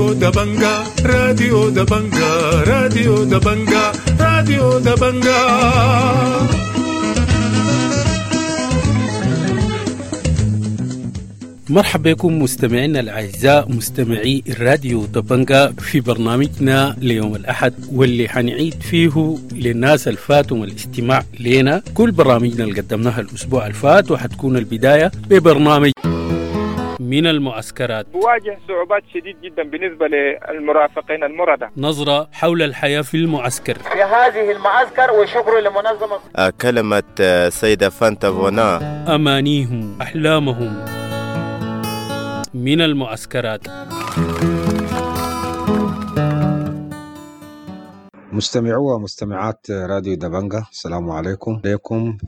راديو دبنجا، راديو دبنجا، راديو دبنجا، راديو دبنجا. مرحبا بكم مستمعينا الأعزاء، مستمعي الراديو دبنجا، في برنامجنا ليوم الأحد واللي حنعيد فيه للناس الفاتهم الاستماع لنا كل برامجنا اللي قدمناها الأسبوع الفات، وحتكون البداية ببرنامج من المعسكرات. بواجه صعوبات شديد جدا بالنسبة للمرافقين المرضى. نظرة حول الحياة في المعسكر في هذه المعسكر، وشكر لمنظمة كلمة سيدة فانتا فونا. أمانيهم، أحلامهم من المعسكرات. مستمعو ومستمعات راديو دبنجا، السلام عليكم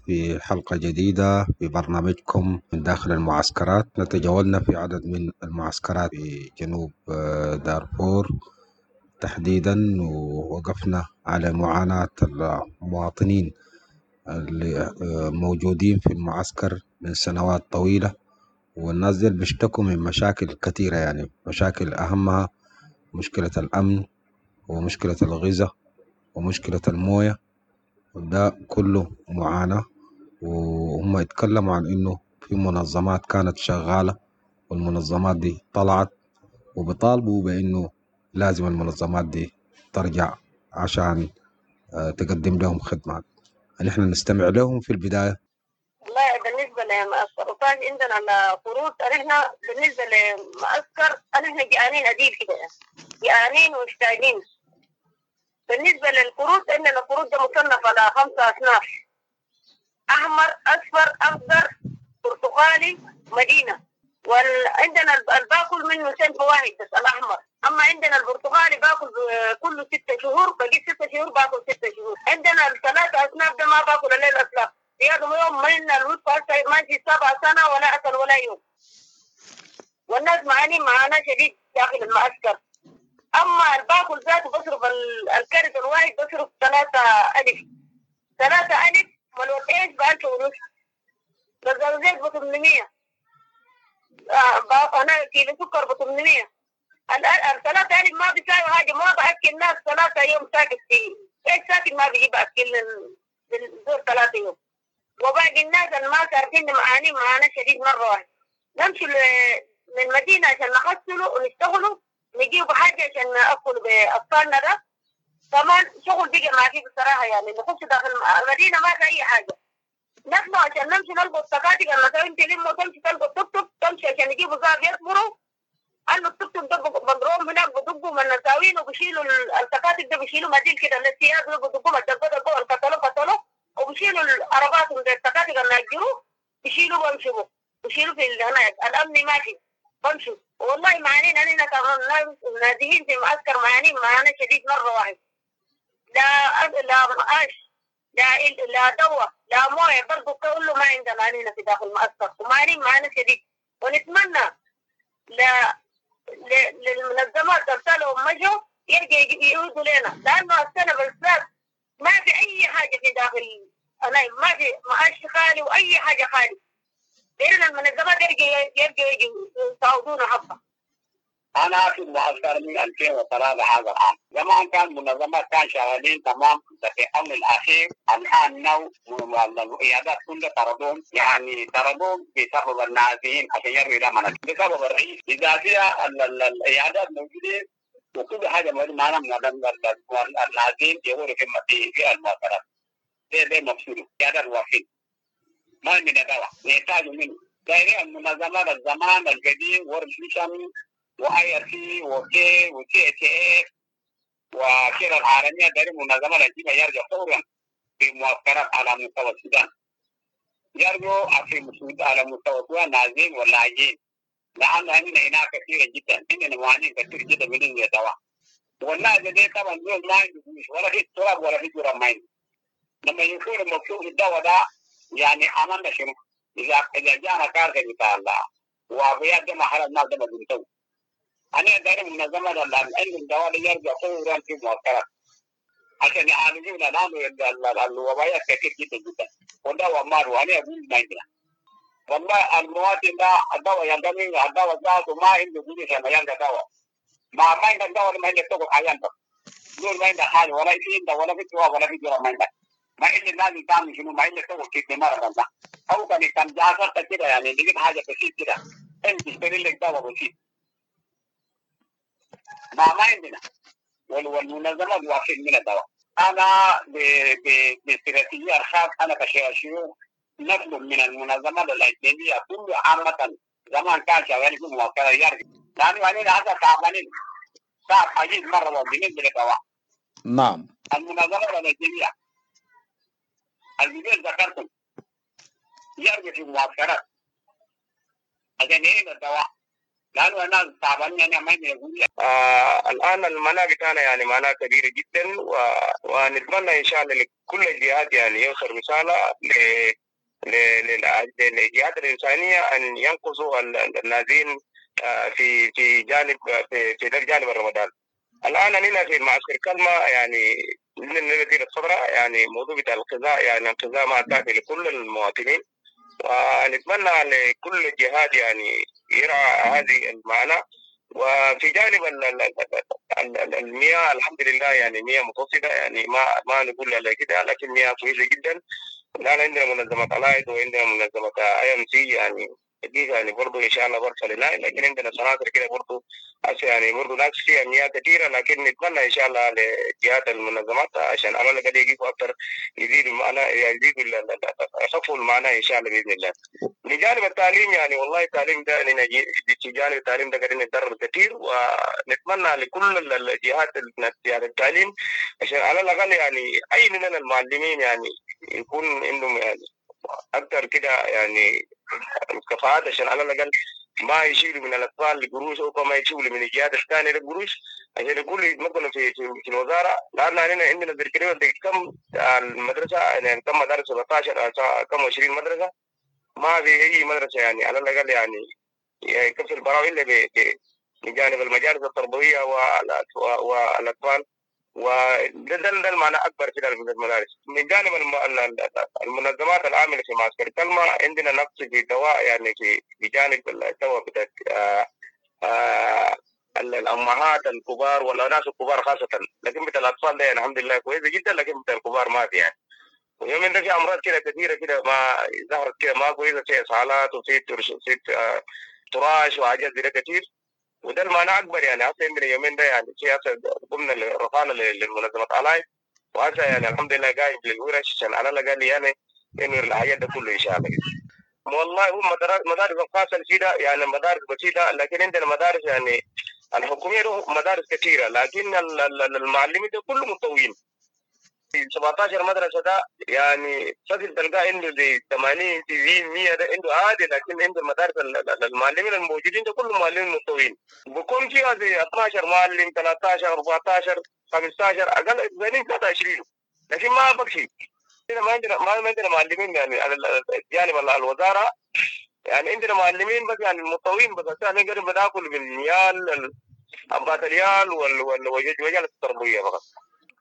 في حلقة جديدة في برنامجكم من داخل المعسكرات. نتجولنا في عدد من المعسكرات في جنوب دارفور تحديدا، ووقفنا على معاناة المواطنين اللي موجودين في المعسكر من سنوات طويلة، والناس دي بيشتكوا من مشاكل كثيرة، يعني مشاكل أهمها مشكلة الأمن ومشكلة الغذاء ومشكلة الموية، وده كله معاناة. وهم يتكلموا عن إنه في منظمات كانت شغالة والمنظمات دي طلعت، وبيطالبوا بإنه لازم المنظمات دي ترجع عشان تقدم لهم خدمات. نحن نستمع لهم في البداية. والله بالنسبة للسرطان عندنا القروض، نحن بالنسبة للمعسكر نحن جعانين عديل كده، جعانين ومشتاقين. بالنسبة للقروض عندنا القروض ده مصنف على 5 أصناف: أحمر، أصفر، أخضر، برتقالي، مدينة. وعندنا الباكل منه صنف واحد بس، الأحمر. أما عندنا البرتقالي باكل كله 6 شهور، بقيت 6 شهور باكل 6 شهور. عندنا ال3 أصناف ده ما باكل إلا الأصناف. زيادة يوم من الوصفة ماشي 7 سنة ولا أكل ولا يوم. والناس معانين معانا شديد داخل المعسكر. أما الباكل ذاته بصرف الكرت الواحد بصرف 3,000، 3,000 ملوك إيش ب1500، بزوزيت ب800، أنا كيلو سكر ب800. ال3,000 ما بيساوي حاجة، ما بأكل الناس 3 يوم ساكت فيه إيش ساكت، ما بيجيب أكل الزور 3 يوم. وباقي الناس اللي ما عارفين معانين معانا شديد مرة واحدة. نمشي من المدينة عشان نحصله ونشتغله، نجيب حاجة عشان نأكل بأطفالنا. ده كمان شغل بقى ما فيه بصراحة، يعني نخش داخل المدينة ما في أي حاجة. نحن عشان نمشي نلقى التكاتك المساوين تلموا، تمشي تلقى التوك توك، تمشي عشان يجيبوا زاب يصبروا أنه التوك توك ده بضرهم هناك، بدقوا من المساوين وبشيلوا التكاتك ده، بشيلوا مديل كده السياق ده، بدقوا الدقوا دقوا القتلوا قتلوا، وبشيلوا العربات من التكاتك اللي أجروا بشيلوا بمشوا بشيلوا في هناك. الأمن ماشي بمشوا. والله معانين أننا كمان نازلين في معسكر، معانين معانا شديد مرة واحد. لا لا معاش، لا دواء، لا موية، برضو كله ما عندنا أننا في داخل المعسكر، ومعانين معانا شديد. ونتمنى لا للمنظمات ترسلهم مجوا يرجع يعودوا لنا، لأنه السنة بالذات ما في أي حاجة في داخل، أنا ما في معاش خالي وأي حاجة خالي. لأن المنظمات يرجع يساعدونا حبة. أنا في المعسكر من 2003 هذا العام. زمان كان منظمات كان شغالين تمام، في الأمر الأخير الآن نو العيادات كلها طردوهم، يعني طردوهم بسبب النازحين عشان يرمي لنا بسبب الرئيس. إذا فيها العيادات موجودين وكل حاجة موجودة معنا من النازحين يقولوا في المعسكرات. ده مقصوده عيادات واقفين ما عندنا دواء نحتاج منه. دايرين المنظمات الزمان القديم ورد ميشن واي ار سي وكي وتي اتش اف وكير العالميه، دايرين منظمات الجيبه يرجع فورا في معسكرات على مستوى السودان، يرجعوا في على مستوى السودان نازلين ولاجئين، لان عندنا هناك كثيره جدا، عندنا معاناه كثير جدا من الدواء. والناس دي طبعا دول ما عندهم فلوس ولا في تراب ولا في جرام ما عندهم. لما يكون مكتوب الدواء ده يعني عملنا شنو؟ إذا جانا كارثة بتاع الله وأبيات ده محل الناس ده ما بنتو. أنا داير منظمة اللي عندهم دواء يرجع فورا في معسكرات عشان يعالجونا، لأنه الوبايات كثير جدا جدا والدواء مار، وأنا أقول ما عندنا. والله المواطن ده الدواء يلقى الدواء ذاته ما عنده قروش عشان يلقى دواء. ما عندك دواء ما عندك تقعد عيان بس دول ما عندك حاجة ولا في عندك ولا في دواء ولا في دواء ما عندك. ما إلا لازم تعمل شنو؟ ما إلا تقعد كده مرة ده أو كان جعفرت كده يعني لقيت حاجة بسيط كده أنت تشتري لك دواء بسيط. ما عندنا والمنظمات واقفين من الدواء. أنا باستراتيجية الخاص أنا كشيوخ نطلب من المنظمات الأجنبية كل عامة زمان كان شغالين في مواقع يرجع لأنه أنا هذا تعبانين صعب عجيب مرة بالنسبة للدواء. نعم. المنظمات الأجنبية الجديد ذكرتم يرجع في المعسكرات عشان يعين الدواء لأنه الناس تعبانين يعني ما يقول. الآن المناعة بتاعنا يعني معناها كبيرة جدا، ونتمنى إن شاء الله لكل الجهات يعني يوصل رسالة للجهات الإنسانية أن ينقذوا النازين في في جانب في جانب الرمضان. الآن أننا في المعسكر كلمة يعني من نتيجة الصدرة يعني موضوع بتاع الغذاء يعني الغذاء ما كافي لكل المواطنين، ونتمنى لكل الجهات يعني يرعى هذه المعنى. وفي جانب المياه الحمد لله يعني مياه متوسطة يعني ما نقول على كده، لكن مياه كويسة جدا. الآن عندنا منظمة ألايد وعندنا منظمة IMC يعني دي يعني برضه إن شاء الله برسل لنا، لكن عندنا سناتر كده برضه يعني برضه ناس فيها مياه كثيرة، لكن نتمنى إن شاء الله لجهات المنظمات عشان على الأقل يجيبوا أكثر، يزيدوا المعنى، يزيدوا يخفوا المعنى إن شاء الله بإذن الله. من جانب التعليم يعني والله التعليم ده في جانب التعليم ده قاعدين نتدرب كثير، ونتمنى لكل الجهات يعني التعليم عشان على الأقل يعني أي من المعلمين يعني يكون عندهم يعني أكثر كده يعني الكفاءات عشان على الأقل ما يشيلوا من الأطفال القروش أو ما يشيلوا من الجهات الثانية القروش عشان يقولوا يتمكنوا في في الوزارة. لأن عندنا تقريبا كم المدرسة يعني كم مدارس 17 كم 20 مدرسة، ما في أي مدرسة يعني على الأقل يعني يكفي البراوي إلا بجانب المجالس التربوية والأطفال، وده ده المعنى أكبر في المدارس. من جانب المنظمات العاملة في معسكر كلمة عندنا نقص في الدواء يعني في بجانب الدواء بتاع الأمهات الكبار والناس الكبار خاصة، لكن بتاع الأطفال ده يعني الحمد لله كويسة جدا، لكن بتاع الكبار ما في يعني. ويومين ده في أمراض كده كثيرة كده ما ظهرت كده ما كويسة، في إسهالات وفي تراش وحاجات زي كثير، وده المعنى أكبر يعني. هسه عندنا يومين ده يعني في هسه قمنا رفعنا للمنظمة ألايف، وهسه يعني الحمد لله قايم للورش عشان على الأقل يعني إنه الحاجات ده كله إن شاء الله. والله هو مدارس الخاصة الجديدة يعني مدارس بسيطة، لكن عندنا مدارس يعني الحكومية مدارس كثيرة، لكن المعلمين ده كله متطوعين. 17 مدرسة ده يعني فصل تلقاه عنده زي 80 90 100 ده عنده عادي، لكن عنده المدارس المعلمين الموجودين ده كلهم معلمين متطوعين، بكون فيها زي 12 معلم 13 14 15 أقل زين 23، لكن ما بكفي. ما عندنا معلمين يعني على جانب الوزارة يعني عندنا معلمين بس يعني المتطوعين بس، عشان نقدر بناكل بالريال الريال والوجهة التربوية فقط.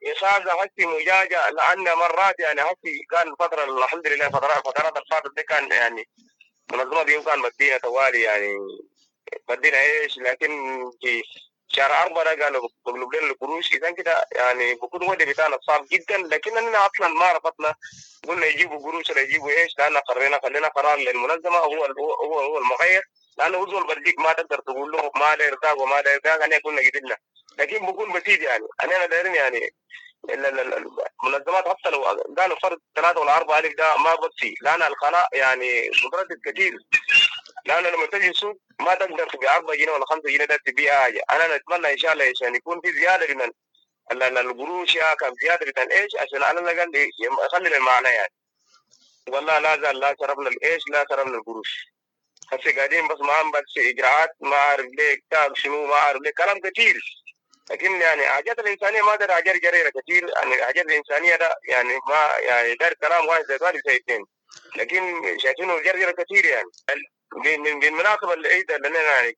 إخاذة هسي مجاجة لأن مرات يعني هسي كان فترة الحمد لله فترات الفاتت دي كان يعني منظمة دي كان مدينا توالي يعني مدينا إيش، لكن في شهر 4 قالوا بقلب لنا القروش، إذا كده يعني بكون ودي بتاعنا صعب جدا، لكننا أصلا ما رفضنا قلنا يجيبوا قروش ولا يجيبوا إيش، لأن قررنا خلينا قرار للمنظمة هو هو هو المغير، لأنه هو بديك ما تقدر تقول له ما لا يرتاح وما لا يرتاح، أنا قلنا قدرنا، لكن بكون بسيط يعني أنا دايرين يعني المنظمات حتى لو قالوا فرق 3 ولا 4 ألف ده ما بكفي، لأن القناة يعني متردد كثير، لأن لما تجي السوق ما تقدر تبيع 4 جنيه ولا 5 جنيه ده تبيع حاجة. أنا نتمنى إن شاء الله عشان يكون في زيادة من القروش يا كم زيادة من إيش عشان على الأقل يخلي المعنى يعني. والله لا زال لا شربنا الإيش لا شربنا القروش، هسه قاعدين بس معهم بس إجراءات ما أعرف ليه كتاب شنو ما أعرف ليه كلام كثير، لكن يعني حاجات الإنسانية ما دار حاجات جريرة كثير، يعني حاجات الإنسانية ده يعني ما يعني دار كلام واحد زي واحد زي اثنين، لكن شايفينه جريرة كثير يعني. بالمناسبة العيد اللي يعني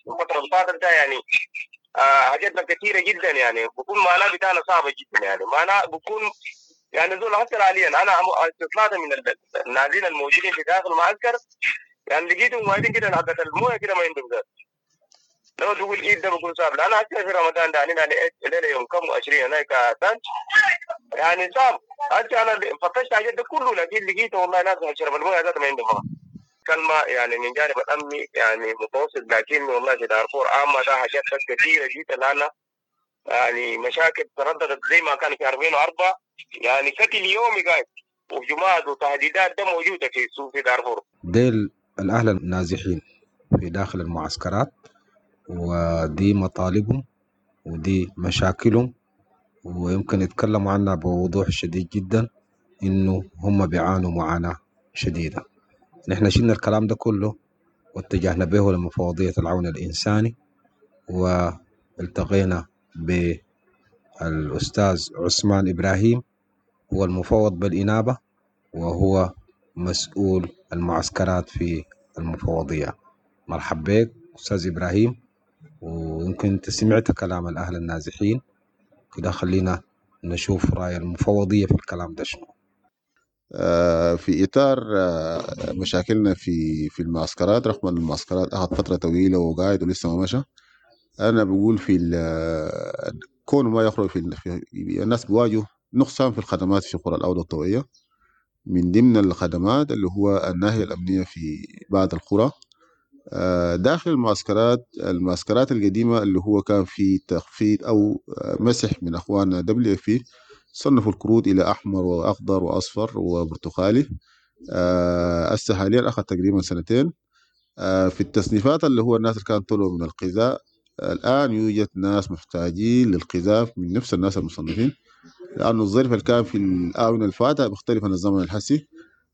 كفترة الفاتت ده يعني حاجاتنا كثيرة جدا يعني بكون معناه بتاعنا صعبة جدا يعني معناه بكون يعني زول حتى حاليا أنا استطلعت من النازلين الموجودين في داخل المعسكر يعني لقيتهم وايدين كده حقت المويه كده ما عندهم ذات. لو تقول ايد ده بكون صعب، لان حتى في رمضان ده يعني الليله يوم كم 20 هناك ثانج يعني صعب. حتى انا فتشت حاجات ده كله لكن لقيته والله ناس شرب المويه ذاته ما عندهم كلمه يعني من جانب الامني يعني متوسط، لكن والله في دارفور عامه ده حاجات كثيره جدا، لان يعني مشاكل ترددت زي ما كان في 2004 يعني قتل يومي قاعد وهجمات وتهديدات ده موجوده في السوق في دارفور. ديل الأهل النازحين في داخل المعسكرات، ودي مطالبهم ودي مشاكلهم، ويمكن يتكلموا عنها بوضوح شديد جدا إنه هم بيعانوا معاناة شديدة. نحن شلنا الكلام ده كله واتجهنا به لمفوضية العون الإنساني، والتقينا بالأستاذ عثمان إبراهيم، هو المفوض بالإنابة وهو مسؤول المعسكرات في المفوضية. مرحب بك أستاذ إبراهيم، ويمكن أنت سمعت كلام الأهل النازحين كده، خلينا نشوف رأي المفوضية في الكلام ده شنو. في إطار مشاكلنا في المعسكرات، رغم أن المعسكرات أخذ فترة طويلة وقاعد ولسه ما مشى، أنا بقول في كون ما يخرج في الناس بيواجهوا نقصان في الخدمات في قرى الأوضة الطوعية. من ضمن الخدمات اللي هو الناحية الأمنية في بعض القرى داخل المعسكرات القديمة اللي هو كان في تخفيض أو مسح من أخواننا WFP، صنفوا الكروت إلى أحمر وأخضر وأصفر وبرتقالي. هسه حاليا أخذ تقريبا سنتين. في التصنيفات اللي هو الناس اللي كانوا طلعوا من الغذاء، الآن يوجد ناس محتاجين للغذاء من نفس الناس المصنفين، لأنه الظرف اللي كان في الآونة الفاتة مختلف عن الزمن الحسي.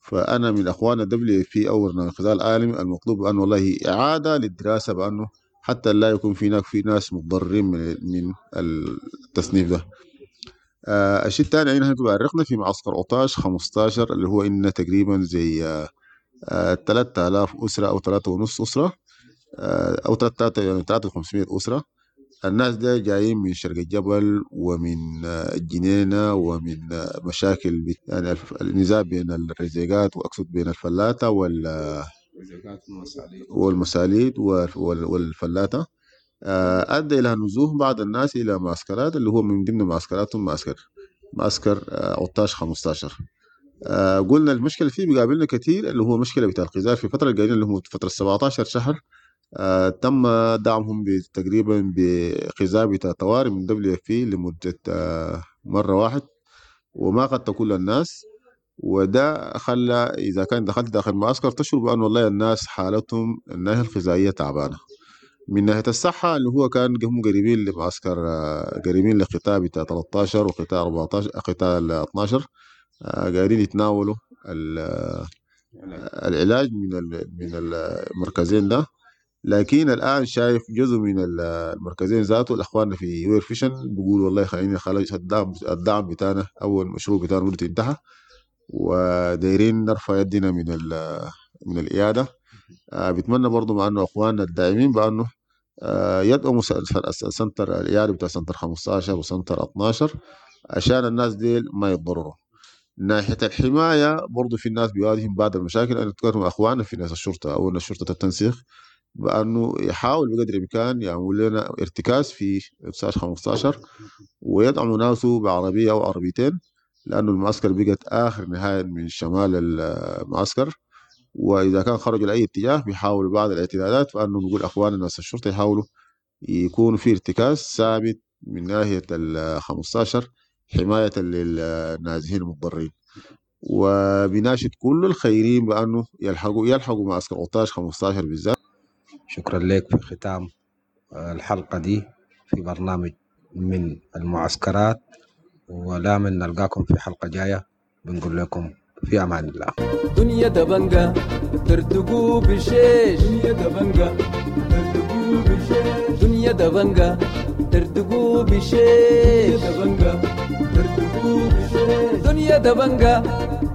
فأنا من أخواننا WFP أو برنامج الغذاء العالمي المطلوب بأنه والله إعادة للدراسة، بأنه حتى لا يكون في هناك في ناس متضررين من التصنيف ده. الشيء الثاني يعني احنا بأرخنا في معسكر أوطاش 15 اللي هو إن تقريبا زي 3000 أسرة أو 3.5 أسرة، أو 3 يعني 3500 أسرة. الناس ده جايين من شرق الجبل ومن الجنينة ومن مشاكل يعني النزاع بين الرزيقات، وأقصد بين الفلاتة والمساليد والفلاتة، أدى إلى نزوح بعض الناس إلى معسكرات اللي هو من ضمن معسكراتهم معسكر أوطاش 15. قلنا المشكلة فيه بيقابلنا كثير اللي هو مشكلة بتاع الغذاء في الفترة القليلة اللي هو فترة 17 شهر. تم دعمهم تقريبا بغذاء بتاع طوارئ من WFP لمدة مرة واحد، وما قد كل الناس، وده خلى إذا كان دخلت داخل معسكر تشعر بأن والله الناس حالتهم الناحية الغذائية تعبانة. من ناحية الصحة اللي هو كان هم قريبين لمعسكر، قريبين لقطاع بتاع 13 وقطاع 14 قطاع 12، قاعدين يتناولوا العلاج من المركزين ده. لكن الآن شايف جزء من المركزين ذاته الأخوان في World Vision بيقولوا والله خلينا خلاص الدعم بتاعنا أو المشروع بتاعنا مدته انتهى، ودايرين نرفع يدنا من الإعادة. بتمنى برضو مع أنه أخواننا الداعمين بأنه يدعموا center الإعادة بتاع center 15 و center 12 عشان الناس ديل ما يتضرروا. ناحية الحماية برضو في الناس بيواجههم بعض المشاكل. أنا أتكلم مع أخواننا في ناس الشرطة أو الشرطة التنسيق بأنه يحاول بقدر الإمكان يعمل لنا ارتكاز في 15 ويدعموا ناسه بعربية أو عربيتين، لأنه المعسكر بقت آخر نهاية من شمال المعسكر، وإذا كان خرجوا لأي اتجاه بيحاولوا بعض الاعتدادات، فأنه بيقول أخواننا ناس الشرطة يحاولوا يكون في ارتكاز ثابت من ناحية ال 15 حماية للنازحين المتضررين. وبناشد كل الخيرين بأنه يلحقوا معسكر أوطاش 15 بالذات. شكرا لك. في ختام الحلقة دي في برنامج من المعسكرات، ولا من نلقاكم في حلقة جاية، بنقول لكم في أمان الله. دنيا دبنجة ترتقو بشيش، دنيا دبنجة ترتقو بشيش، دنيا دبنجة ترتقو بشيش، دبنجة ترتقو بشيش، دنيا دبنجة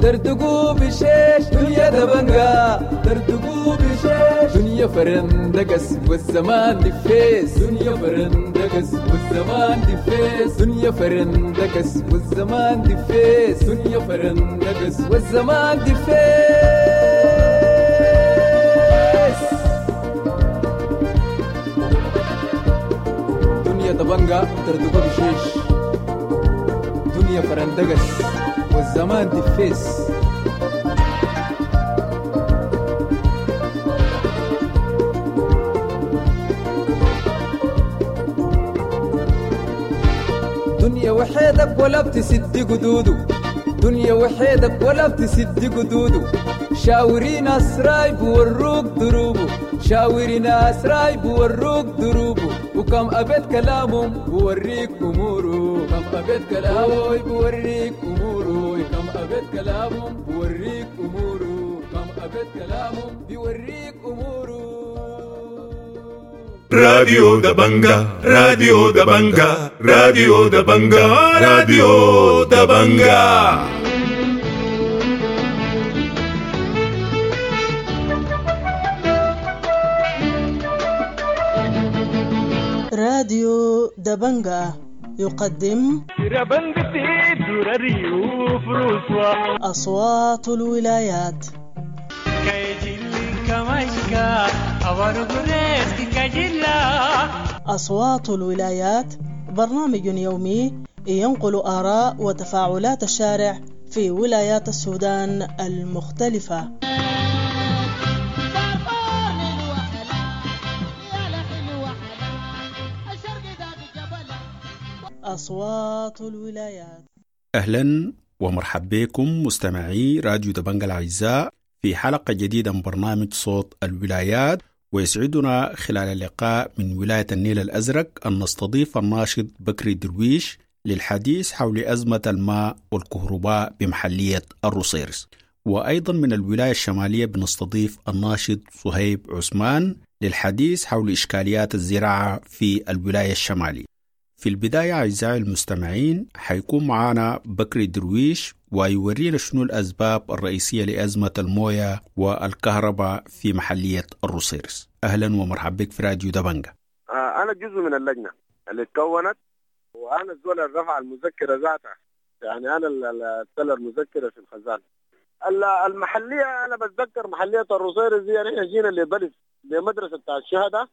ترتقو بشيش، دنيا دبنجة ترتقو بشيش، دنيا فرندقس والزمان دفيس، دنيا فرندقس والزمان دفيس، دنيا فرندقس والزمان دفيس، دنيا فرندقس والزمان دفيس. دبنجا تردقو بشيش، دنيا فرندقس والزمان دفيس. دنيا وحيدك ولا بتسد قدوده، دنيا وحيدك ولا بتسد قدوده، شاوري ناس رايب وروك دروبه، شاوري ناس رايب وروك دروبه، وكم أبيت كلامهم بوريك أموره، كم أبيت كلامه بوريك أموره، كم أبيت كلامهم بوريك أموره، كم أبيت كلامهم بوريك أموره. راديو دبنجا، راديو دبنجا، راديو دبنجا، راديو دبنجا. راديو دبنجا يقدم أصوات الولايات. أصوات الولايات برنامج يومي ينقل آراء وتفاعلات الشارع في ولايات السودان المختلفة. أصوات الولايات. أهلا ومرحبا بكم مستمعي راديو دبنجا الأعزاء في حلقة جديدة من برنامج صوت الولايات، ويسعدنا خلال اللقاء من ولاية النيل الأزرق أن نستضيف الناشط بكري درويش للحديث حول أزمة الماء والكهرباء بمحلية الروصيرص، وأيضا من الولاية الشمالية بنستضيف الناشط صهيب عثمان للحديث حول إشكاليات الزراعة في الولاية الشمالية. في البداية أعزائي المستمعين حيكون معنا بكري درويش ويورينا شنو الأسباب الرئيسية لأزمة الموية والكهرباء في محلية الروصيرص. أهلا ومرحبا بك في راديو دبنجا. أنا جزء من اللجنة اللي تكونت، وأنا الزول اللي رفع المذكرة ذاتها، يعني أنا اللي ارسل المذكرة في الخزانة المحلية. أنا بتذكر محلية الروصيرص دي نحن جينا لبلس لمدرسة بتاع الشهداء،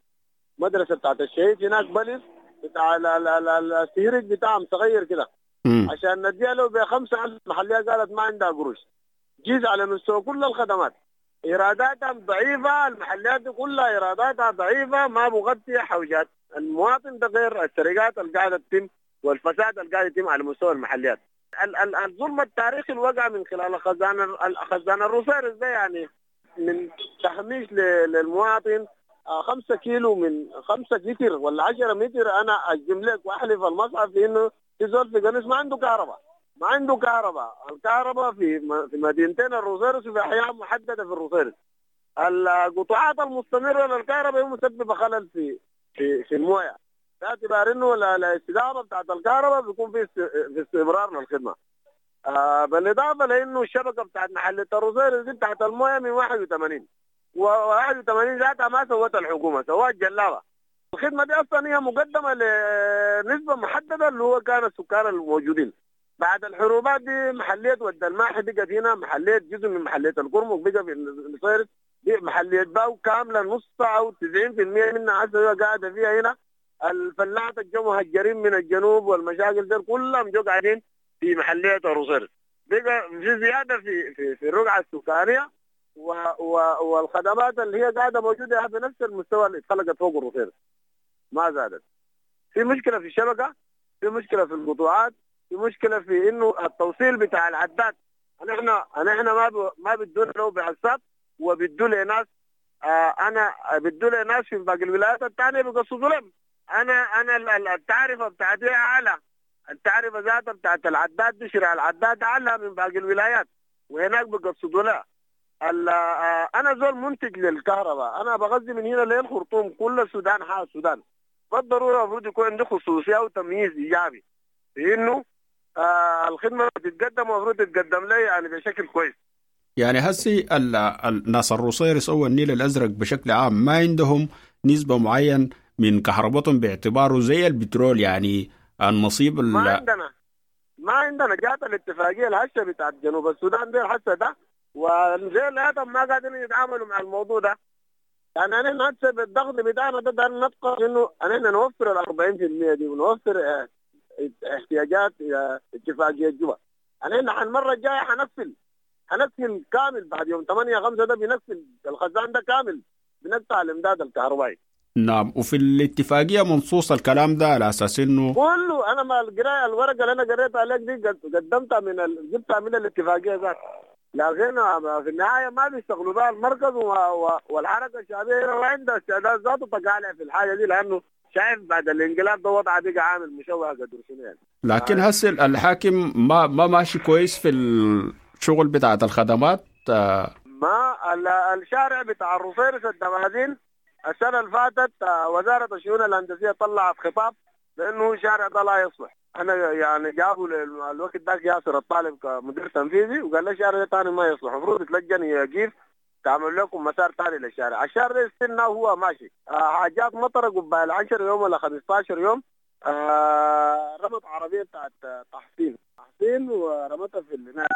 مدرسة بتاعت الشهيد هناك، بلس بتاع السهرج بتاعهم صغير كده، عشان نديها له ب5,000. المحلية قالت ما عندها قروش. جيز على مستوى كل الخدمات إيراداتها ضعيفة، المحليات دي كلها إيراداتها ضعيفة، ما بغطي حوجات المواطن، ده غير السرقات اللي قاعدة تتم والفساد اللي قاعد يتم على مستوى المحليات. الظلم التاريخي اللي وقع من خلال خزان الروصيرص ده، يعني من تهميش للمواطن. 5 كيلو من 5 متر ولا 10 متر، أنا أجزم لك وأحلف المصحف في إنه في زول في قنيص ما عنده كهرباء، ما عنده كهرباء. الكهرباء في مدينتين الروصيرص وفي أحياء محددة في الروصيرص. القطاعات المستمرة للكهرباء هي مسببة خلل في في في المويه، باعتبار إنه الاستدامة بتاعت الكهرباء بيكون في استمرار للخدمة. بالإضافة لإنه الشبكة بتاعت محلية الروصيرص دي بتاعت المويه من 81 و81 ذاتها ما سوتها الحكومة، سوتها الجلابة. الخدمة دي أصلا هي مقدمة لنسبة محددة اللي هو كان السكان الموجودين. بعد الحروبات دي محلية ود الماحي بقت هنا، محلية جزء من محلية الكرمك بقى في الروصيرص، محلية باو كاملة نص أو 90% منها هسه قاعدة فيها هنا. الفلاحة الجو مهجرين من الجنوب والمشاكل دي كلهم جو قاعدين في محلية الروصيرص. بقى في زيادة في في في الرقعة السكانية والخدمات اللي هي قاعدة موجودة بنفس المستوى اللي اتخلقت فوق الروصيرص، ما زادت. في مشكلة في الشبكة، في مشكلة في القطوعات، في مشكلة في انه التوصيل بتاع العداد. نحن ما بدون له بعساب، وبدوا لناس انا بدوا لناس في باقي الولايات الثانية بيقصدوا لهم. انا التعرفه بتاعتي اعلى، التعرفه ذاتها بتاعت العداد دي شراء العداد اعلى من باقي الولايات، وهناك بيقصدوا لها. انا زول منتج للكهرباء، انا بغذي من هنا للخرطوم، كل السودان حال السودان. بالضرورة المفروض يكون عندي خصوصية وتمييز ايجابي في انه الخدمة بتتقدم، المفروض تتقدم لي يعني بشكل كويس. يعني هسي الناس الروصيرص او النيل الازرق بشكل عام ما عندهم نسبه معين من كهربتهم باعتباره زي البترول، يعني النصيب ما عندنا جات الاتفاقية الهشه بتاعت جنوب السودان دي الهشه ده، وزي الادم ما قادرين يتعاملوا مع الموضوع ده. يعني نحن هسه بالضغط بتاعنا ده نبقى انه نحن نوفر ال 40% دي ونوفر احتياجات اتفاقية جوبا. نحن المرة الجاية حنقفل كامل بعد يوم 8/5 ده بنقفل الخزان ده كامل، بنقطع الامداد الكهربائي. نعم. وفي الاتفاقية منصوص الكلام ده على أساس إنه كله. أنا ما القراية الورقة اللي أنا قريتها عليك دي قدمتها من جبتها من الاتفاقية ذاتها، لكن في النهاية ما بيشتغلوا بها المركز والحركة الشعبية ما عندها استعداد ذاته تقالع في الحاجة دي، لأنه شايف بعد الانقلاب ده وضعه بقى عامل مشوه قدر شنو يعني. لكن هسه الحاكم ما ماشي كويس في الشغل بتاعت الخدمات. ما الشارع بتاع الرصيرس الدمازين السنة اللي فاتت وزارة الشؤون الهندسية طلعت خطاب بأنه الشارع ده لا يصلح. أنا يعني جابوا الوقت ذاك ياسر الطالب كمدير تنفيذي وقال لي الشارع ده ثاني ما يصلح، المفروض يتلجن يقيف تعمل لكم مسار ثاني للشارع. الشارع ده استنى وهو ماشي. حاجات مطر قبل 10 يوم ولا 15 يوم، رمت عربية بتاعت تحسين ورمتها في النار.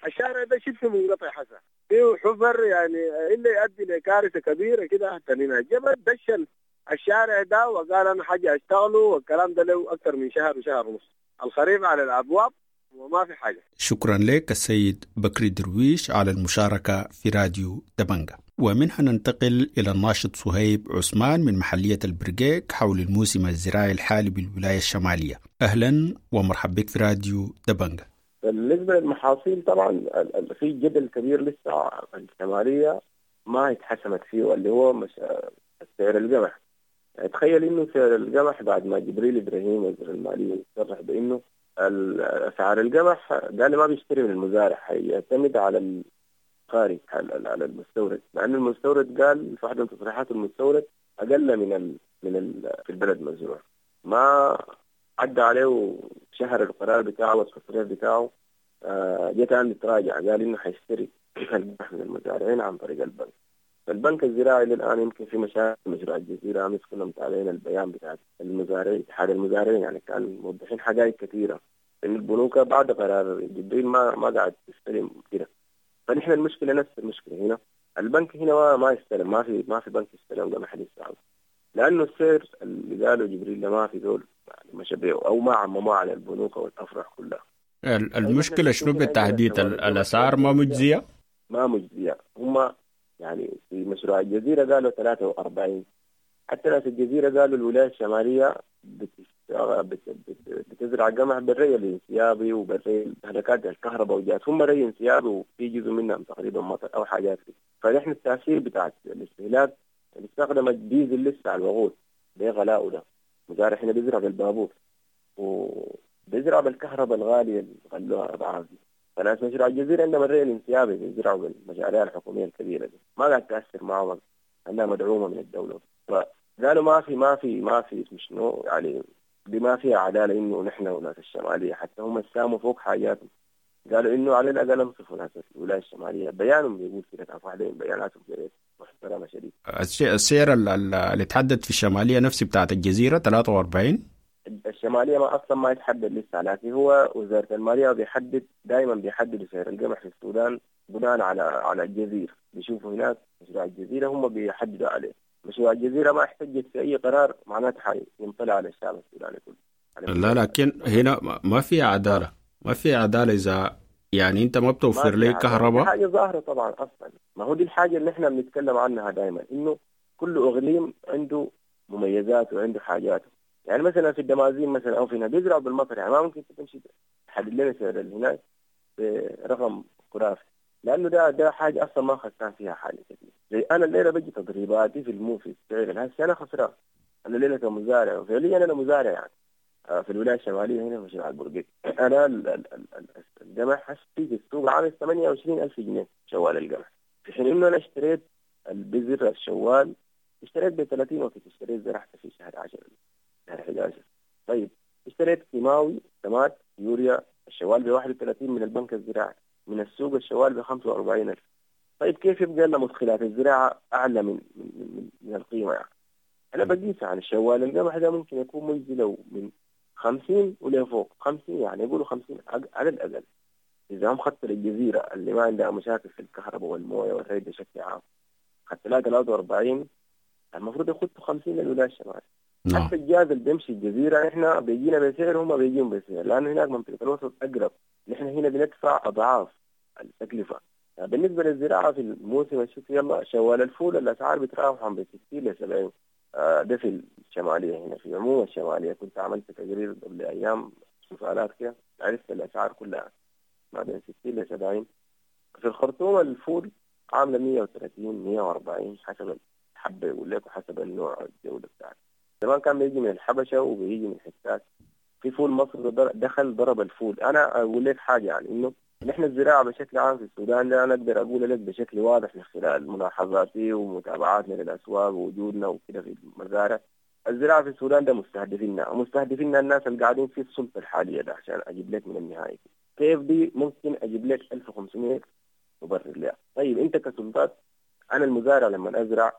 الشارع ده شبه منقطع حسن فيه حفر، يعني اللي يؤدي لكارثة كبيرة كده حتى هنا. جبل دشن الشارع ده وقال أنا حاجة أشتغله، والكلام ده له أكثر من شهر وشهر ونص. الخريف على الأبواب وما في حاجة. شكرا لك السيد بكري درويش على المشاركة في راديو دبنجة. ومنها ننتقل إلى الناشط صهيب عثمان من محلية البرقيق حول الموسم الزراعي الحالي بالولاية الشمالية. أهلا ومرحبا بك في راديو دبنجة. بالنسبة للمحاصيل طبعا في جدل كبير لسه الشمالية ما اتحسمت فيه، اللي هو سعر القمح. يعني تخيل انه سعر القمح بعد ما جبريل ابراهيم وزير المالية صرح بانه اسعار القمح قال ما بيشتري من المزارع، حيعتمد على الخارج، على المستورد، مع انه المستورد قال في واحدة من تصريحات المستورد اقل من في البلد مزروع. ما عدى عليه شهر القرار بتاعه والتصريح بتاعه، جت عند تراجع قال انه حيشتري القمح من المزارعين عن طريق البنك. فالبنك الزراعي للآن يمكن في مشاكل مشروع الجزيرة، أمس كنا متابعين البيان بتاع المزارعين، اتحاد المزارعين، يعني كان موضحين حقائق كثيرة إن البنوك بعد قرار جبريل ما قاعد تستلم كده. فنحن المشكلة نفس المشكلة هنا، البنك هنا ما يستلم، ما في بنك يستلم قمح لسه، لأنه السعر اللي قاله جبريل ده ما في دول يعني ما شبعوا أو ما عمموه على البنوك والأفرع كلها. المشكلة شنو بالتحديد؟ الأسعار ما مجزية؟ ما مجزية. هم يعني في مشروع الجزيرة قالوا 43، حتى ناس الجزيرة قالوا الولاية الشمالية بتزرع قمح بالري الانسيابي وبالري هلكات الكهرباء وجات، هم ري انسيابي وفي جزء منهم تقريبا مطر أو حاجات كده. فنحن التأثير بتاع الاستهلاك استخدم الديزل لسه على الوقود بغلاءه ده، مزارع هنا بيزرع بالبابور وبيزرع بالكهرباء الغالية اللي غلوها أضعاف دي. فناس مشروع الجزيرة عندهم الري الانسيابي بيزرعوا بالمشاريع الحكومية الكبيرة دي، ما قاعد تأثر معهم لأنها مدعومة من الدولة. فقالوا ما في ما في ما في شنو يعني، دي ما فيها عدالة إنه نحن وناس الشمالية حتى هم ساموا فوق حاجاتهم، قالوا إنه على الأقل انصفوا ناس الولاية الشمالية. بيانهم بيقول كده، كان واحدة من بياناتهم محترمة شديد. السعر اللي تحدد في الشمالية نفسه بتاعت الجزيرة 43. الشمالية ما أصلا ما يتحدد لسه، لكن هو وزارة المالية بيحدد دائما، بيحدد سعر القمح في السودان بناء على الجزيرة، بيشوفوا هناك مشروع الجزيرة هم بيحددوا عليه. مشروع الجزيرة ما احتجت في أي قرار معناته حينطلع على الشعب السوداني كله. لا لكن هنا ما في عدالة، ما في عدالة إذا يعني أنت ما بتوفر لي كهرباء. حاجة ظاهرة طبعا أصلا، ما هو دي الحاجة اللي إحنا بنتكلم عنها دائما، إنه كل إقليم عنده مميزاته وعنده حاجاته. يعني مثلا في الدمازين مثلا او في هنا بيزرعوا بالمطر، يعني ما ممكن تمشي تحدد لنا سعر هناك برقم خرافي، لانه ده حاجة اصلا ما خسران فيها حاجة كثير. زي انا الليلة بجي تضريباتي في في السعر هسه انا خسران، انا الليلة كمزارع، وفعليا انا مزارع يعني في الولاية الشمالية هنا في مشروع البرقيق. انا القمح هسه في السوق عامل 28,000 جنيه شوال القمح، في حين انه انا اشتريت البذر الشوال اشتريت ب 30 وقت اشتريت زرعته في شهر 10 شهر 11. طيب اشتريت كيماوي سماد يوريا الشوال ب 31 من البنك الزراعي، من السوق الشوال ب 45,000. طيب كيف يبقى لنا مدخلات الزراعة أعلى من من من, من القيمة يعني؟ أنا بقيس عن الشوال القمح ده ممكن يكون مجزي لو من 50 ولفوق، 50 يعني يقولوا 50 على الأقل. إذا هم خطوا الجزيرة اللي ما عندها مشاكل في الكهرباء والموية والري بشكل عام، خدت لها 43، المفروض يخطوا 50 للولاية الشمالية. حتى الجاز اللي بيمشي الجزيرة احنا بيجينا بسعر وهم بيجيهم بسعر، لأنه هناك منطقة الوسط أقرب، نحن هنا بندفع أضعاف التكلفة. يعني بالنسبة للزراعة في الموسم الشتوي يلا شوال الفول الأسعار بتراوح عن 60 ل 70، ده في الشمالية. هنا في عموم الشمالية كنت عملت تقرير قبل أيام سؤالات كده، عرفت الأسعار كلها ما بين 60 ل 70. في الخرطوم الفول عاملة 130 140 حسب الحبة يقول لك، وحسب النوع الجودة بتاعته. زمان كان بيجي من الحبشة وبيجي من حتات، في فول مصر دخل ضرب الفول. أنا أقول لك حاجة يعني إنه نحن الزراعة بشكل عام في السودان ده أنا أقدر أقول لك بشكل واضح من خلال ملاحظاتي ومتابعاتنا للأسواق ووجودنا وكده في المزارع، الزراعة في السودان ده مستهدفيننا، ومستهدفيننا الناس اللي قاعدين في السلطة الحالية ده. عشان أجيب لك من النهاية كيف دي ممكن أجيب لك 1500 مبرر لها. طيب أنت كسلطات، أنا المزارع لما أزرع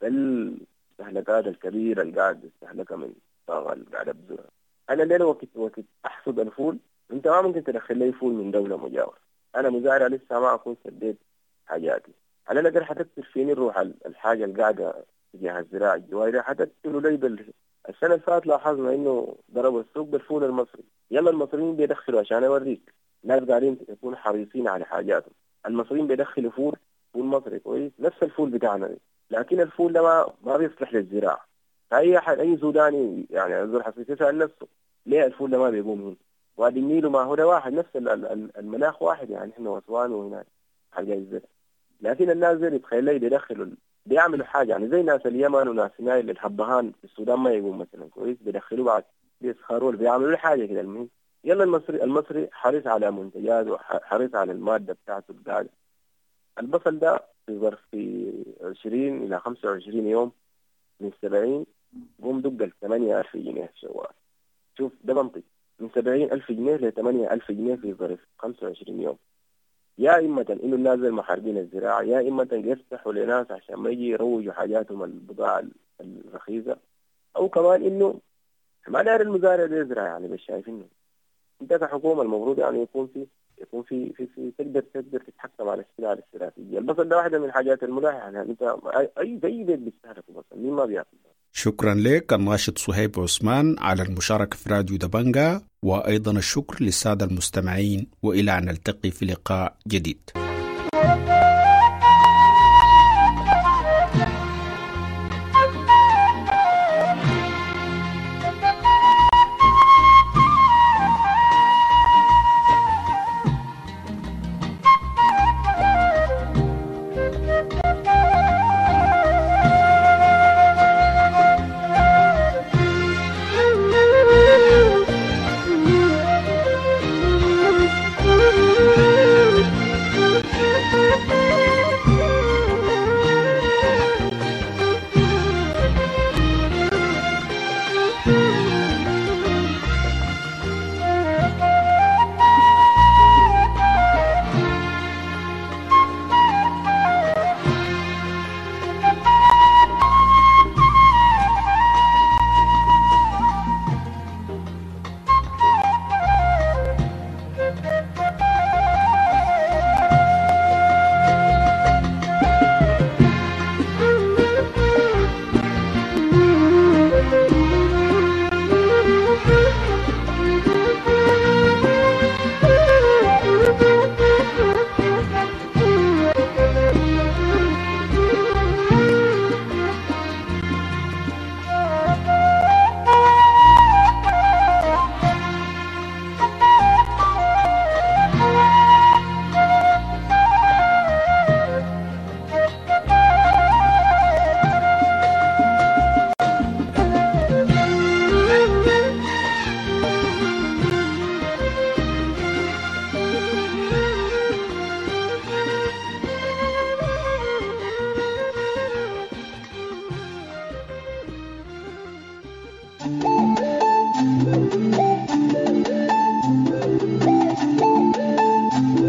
بالمستهلكات الكبيرة اللي قاعد استهلكها من الطاقة اللي قاعد أبذرها، أنا ليه وقت أحصد الفول أنت ما ممكن تدخل لي فول من دولة مجاورة. أنا مزارع لسه ما أكون سديت حاجاتي، على الأقل حتكتر فيني الروح الحاجة اللي قاعدة تجاه الزراعة الجواري حتكتلوا لي السنة اللي فاتت لاحظنا إنه ضربوا السوق بالفول المصري. يلا المصريين بيدخلوا، عشان أوريك الناس قاعدين يكونوا حريصين على حاجاتهم. المصريين بيدخلوا فول مصري كويس، نفس الفول بتاعنا ده، لكن الفول ده ما بيصلح للزراعة. فأي أحد أي سوداني يعني زول حسيس يسأل نفسه ليه الفول ده ما بيقوم هنا؟ وادي النيل وما هو ده واحد، نفس المناخ واحد يعني، احنا واسوان وهناك حاجة الزرع. لكن الناس زي يتخيل لي بيدخلوا بيعملوا حاجة يعني زي ناس اليمن وناس نايل الحبهان في السودان ما يقوم مثلا كويس، بيدخلوا بعد بيسخروا بيعملوا حاجة كده. المهم يلا المصري حريص على منتجاته وحريص على المادة بتاعته القاعدة. البصل ده في ظرف 20 إلى 25 يوم من 70 قوم دق ال 8000 جنيه شوال. شوف ده منطق، من 70,000 جنيه ل 8,000 جنيه في ظرف 25 يوم. يا إما إنه الناس المحاربين الزراعة، يا إما يفتحوا لناس عشان ما يجي يروجوا حاجاتهم البضاعة الرخيصة، أو كمان إنه ما داير المزارع ده يزرع يعني. بس شايفينه أنت كحكومة المفروض يعني يكون في في في تقدر تتحكم على السلع الاستراتيجية. البصل ده واحدة من الحاجات الملاحة يعني، أنت أي زي بيت بيستهلك بصل، مين ما بياكل. شكرا لك الناشط صهيب عثمان على المشاركة في راديو دبنجا، وأيضا الشكر للسادة المستمعين، وإلى أن نلتقي في لقاء جديد.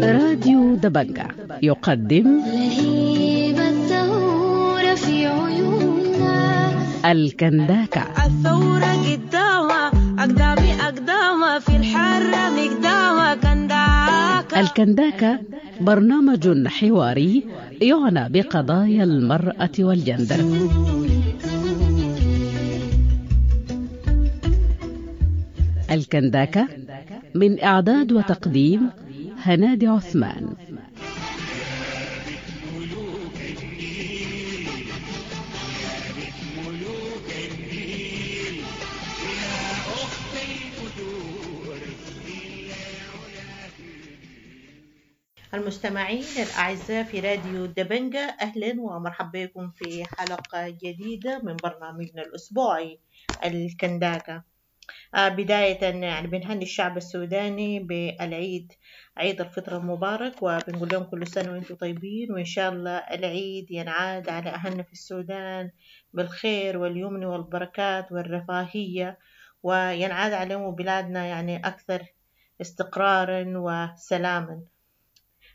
راديو دبنجة يقدم لهيب الثورة في عيوننا الكنداكة. الثورة قدامها أقدامي أقدامها في الحرة مقدامها كنداكة. الكنداكة برنامج حواري يعنى بقضايا المرأة والجندر. الكنداكة من إعداد وتقديم هنادي عثمان. المستمعين الأعزاء في راديو دبنجة، أهلا ومرحبا بكم في حلقة جديدة من برنامجنا الأسبوعي الكنداكة. بداية يعني بنهني الشعب السوداني بالعيد، عيد الفطر المبارك، وبنقول لهم كل سنة وانتم طيبين، وإن شاء الله العيد ينعاد على أهلنا في السودان بالخير واليمن والبركات والرفاهية، وينعاد عليهم بلادنا يعني أكثر استقرارا وسلاما.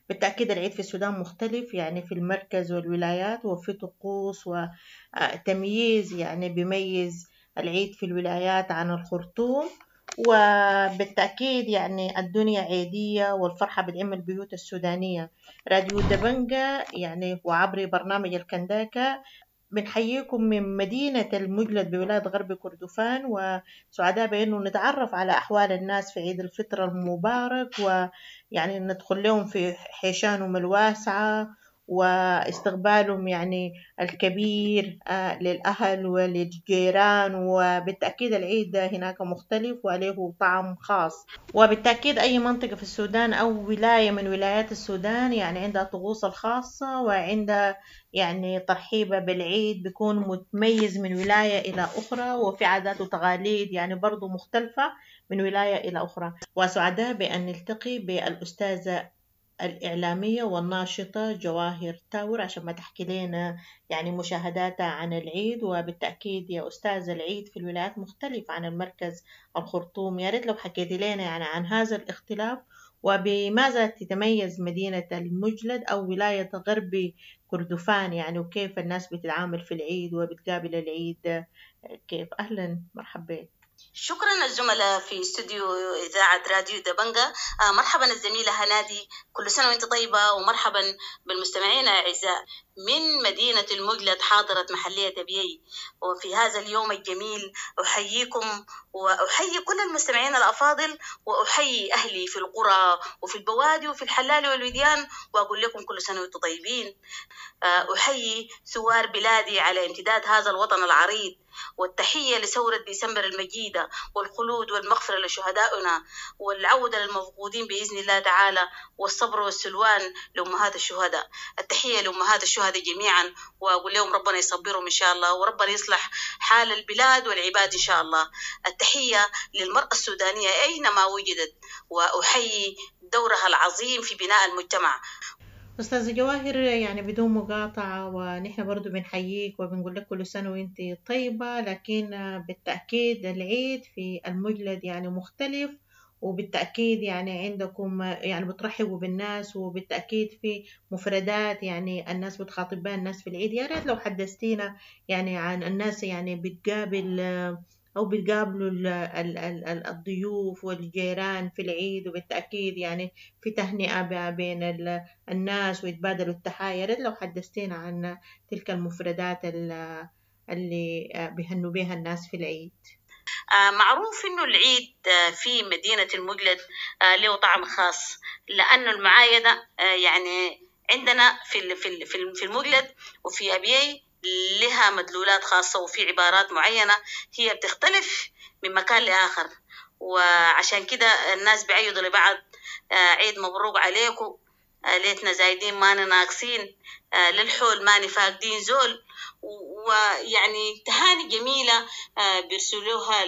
بالتأكيد العيد في السودان مختلف يعني في المركز والولايات، وفي طقوس وتمييز يعني بيميز العيد في الولايات عن الخرطوم. وبالتأكيد يعني الدنيا عيدية والفرحة بتعم البيوت السودانية. راديو دبنجة يعني وعبر برنامج الكنداكة بنحييكم من مدينة المجلد بولاية غرب كردفان، وسعداء بأنه نتعرف على أحوال الناس في عيد الفطر المبارك، ويعني ندخل لهم في حيشانهم الواسعة واستقبالهم يعني الكبير للأهل وللجيران. وبالتأكيد العيد هناك مختلف وله طعم خاص. وبالتأكيد أي منطقة في السودان أو ولاية من ولايات السودان يعني عندها طقوس الخاصة وعندها يعني ترحيبة بالعيد بيكون متميز من ولاية إلى أخرى، وفي عادات وتقاليد يعني برضو مختلفة من ولاية إلى أخرى. وسعداء بأن نلتقي بالأستاذة الإعلامية والناشطة جواهر تاور عشان ما تحكي لنا يعني مشاهداتها عن العيد. وبالتأكيد يا أستاذ العيد في الولايات مختلف عن المركز الخرطوم، يا ريت لو حكيتي لنا يعني عن هذا الاختلاف وبماذا تتميز مدينة المجلد أو ولاية غرب كردفان يعني، وكيف الناس بتتعامل في العيد وبتقابل العيد كيف. أهلا مرحبا. شكرا الزملاء في استوديو إذاعة راديو دبنجة. مرحبا الزميلة هنادي، كل سنة وانت طيبة، ومرحبا بالمستمعين الأعزاء من مدينة المجلد حاضرة محلية أبيي. وفي هذا اليوم الجميل أحييكم وأحيي كل المستمعين الأفاضل، وأحيي أهلي في القرى وفي البوادي وفي الحلال والوديان، وأقول لكم كل سنة وانتم طيبين. أحيي ثوار بلادي على امتداد هذا الوطن العريض، والتحية لثورة ديسمبر المجيدة، والخلود والمغفرة لشهدائنا، والعودة للمفقودين بإذن الله تعالى، والصبر والسلوان لأمهات الشهداء. التحية لأمهات الشهداء جميعا، وأقول لهم ربنا يصبرهم إن شاء الله، وربنا يصلح حال البلاد والعباد إن شاء الله. التحية للمرأة السودانية أينما وجدت، وأحيي دورها العظيم في بناء المجتمع. أستاذة جواهر يعني بدون مقاطعة، ونحن برضو بنحييك وبنقول لك كل سنة وانت طيبة، لكن بالتأكيد العيد في المجلد يعني مختلف، وبالتأكيد يعني عندكم يعني بترحبوا بالناس، وبالتأكيد في مفردات يعني الناس بتخاطب بها الناس في العيد. يا ريت لو حدثتينا يعني عن الناس يعني بتقابل أو بتقابلوا الضيوف والجيران في العيد، وبالتأكيد يعني في تهنئة بين الناس ويتبادلوا التحايا. يا ريت لو حدثتينا عن تلك المفردات اللي بيهنوا بها الناس في العيد. معروف إنه العيد في مدينة المجلد له طعم خاص، لأنه المعايدة يعني عندنا في المجلد وفي أبيي لها مدلولات خاصة، وفي عبارات معينة هي بتختلف من مكان لآخر، وعشان كده الناس بيعيدوا لبعض عيد مبروك عليكم، ليتنا زايدين ما ناقصين، للحول ما فاقدين زول، ويعني تهاني جميلة بيرسلوها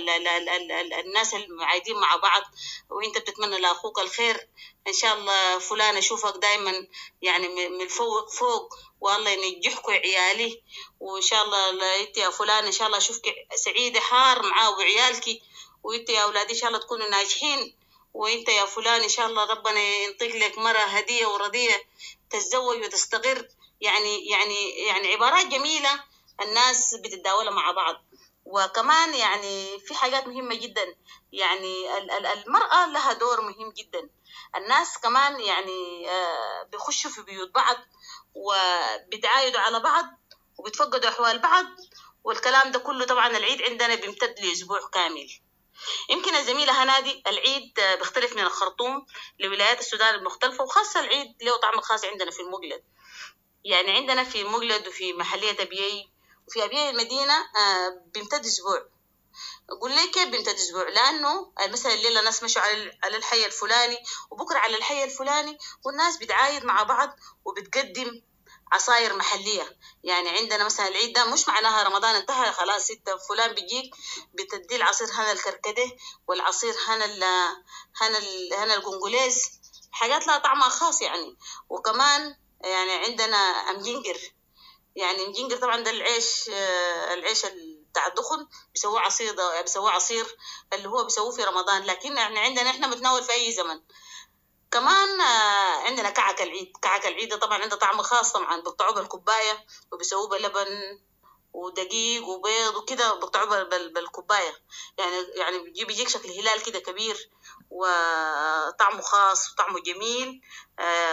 الناس المعايدين مع بعض، وانت بتتمنى لأخوك الخير، إن شاء الله فلان أشوفك دايما يعني من فوق فوق، والله ينجحكوا عيالي، وإن شاء الله انت يا فلان إن شاء الله أشوفك سعيدة حار معاه وعيالك، وانت يا أولادي إن شاء الله تكونوا ناجحين، وانت يا فلان إن شاء الله ربنا ينطق لك مرة هدية ورضية تتزوج وتستقر. يعني يعني يعني عبارات جميلة الناس بتتداولها مع بعض. وكمان يعني في حاجات مهمة جدا، يعني المرأة لها دور مهم جدا. الناس كمان يعني بيخشوا في بيوت بعض وبتعايدوا على بعض وبتفقدوا أحوال بعض، والكلام ده كله طبعا العيد عندنا بيمتد لأسبوع كامل. يمكن الزميلة هنادي العيد بيختلف من الخرطوم لولايات السودان المختلفة، وخاصة العيد له طعم خاص عندنا في المجلد. يعني عندنا في المجلد وفي محلية أبيي وفي أبيي المدينة بيمتد أسبوع. أقول لك كيف بيمتد أسبوع؟ لأنه مثلا الليلة ناس مشوا على الحي الفلاني وبكرة على الحي الفلاني، والناس بتعايد مع بعض وبتقدم عصاير محلية. يعني عندنا مثلا العيد ده مش معناها رمضان انتهى خلاص، ستة فلان بيجيك بتدي العصير هنا الكركديه والعصير هنا ال هنا ال هنا القنقليز، حاجات لها طعمها خاص يعني. وكمان يعني عندنا أمجنجر، يعني أمجنجر طبعا ده العيش، العيش بتاع الدخن بيسووه عصير، بيسووه عصير اللي هو بيسووه في رمضان، لكن يعني عندنا احنا بنتناول في أي زمن. كمان عندنا كعك العيد. كعك العيد ده طبعا عنده طعم خاص، طبعا بيقطعوه بالكوباية وبيسووه بلبن ودقيق وبيض وكده، بيقطعوه بالكوباية، يعني بيجيك شكل هلال كده كبير وطعمه خاص وطعمه جميل.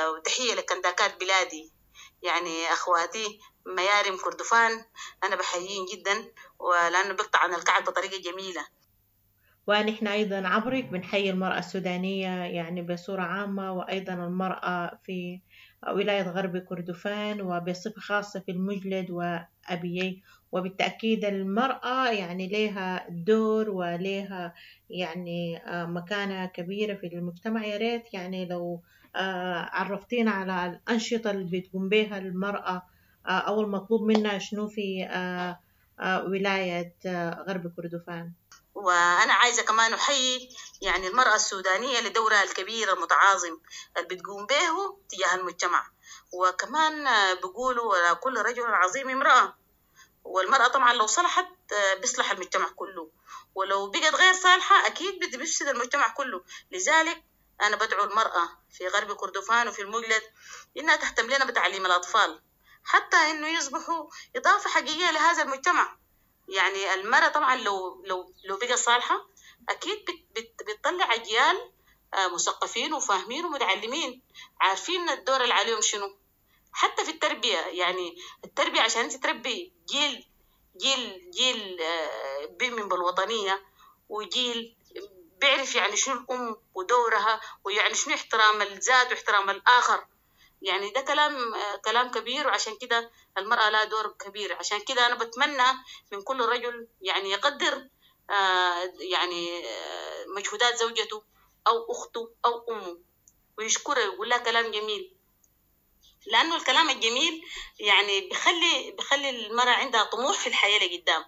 وتحية لكنداكات بلادي، يعني أخواتي ميارم كردفان أنا بحيين جدا، ولأنه بيقطع عن الكعك بطريقة جميلة. ونحن أيضا عبرك بنحيي المرأة السودانية يعني بصورة عامة، وأيضا المرأة في ولاية غرب كردفان وبصفة خاصة في المجلد وأبيي. وبالتأكيد المرأة يعني لها دور ولها يعني مكانة كبيرة في المجتمع. يا ريت يعني لو عرفتينا على الأنشطة اللي بتقوم بها المرأة أو المطلوب منها شنو في ولاية غرب كردفان. وأنا عايزة كمان أحيي يعني المرأة السودانية لدورها الكبير المتعاظم اللي بتقوم به تجاه المجتمع. وكمان بيقولوا كل رجل عظيم امرأة، والمرأة طبعا لو صلحت بيصلح المجتمع كله، ولو بقت غير صالحة أكيد بتفسد المجتمع كله. لذلك أنا بدعو المرأة في غرب كردفان وفي المجلد إنها تهتم لنا بتعليم الأطفال حتى إنه يصبحوا إضافة حقيقية لهذا المجتمع. يعني المرأة طبعا لو لو لو بقى صالحة أكيد بتطلع أجيال مثقفين وفاهمين ومتعلمين، عارفين الدور اللي عليهم شنو، حتى في التربية. يعني التربية عشان أنت تربي جيل جيل جيل بيؤمن بالوطنية، وجيل بيعرف يعني شنو الأم ودورها، ويعني شنو احترام الذات واحترام الآخر. يعني ده كلام كبير، وعشان كده المرأة لها دور كبير. عشان كده أنا بتمنى من كل رجل يعني يقدر يعني مجهودات زوجته أو أخته أو أمه ويشكرها ويقول لها كلام جميل، لأنه الكلام الجميل يعني بخلي المرأة عندها طموح في الحياة لقدام.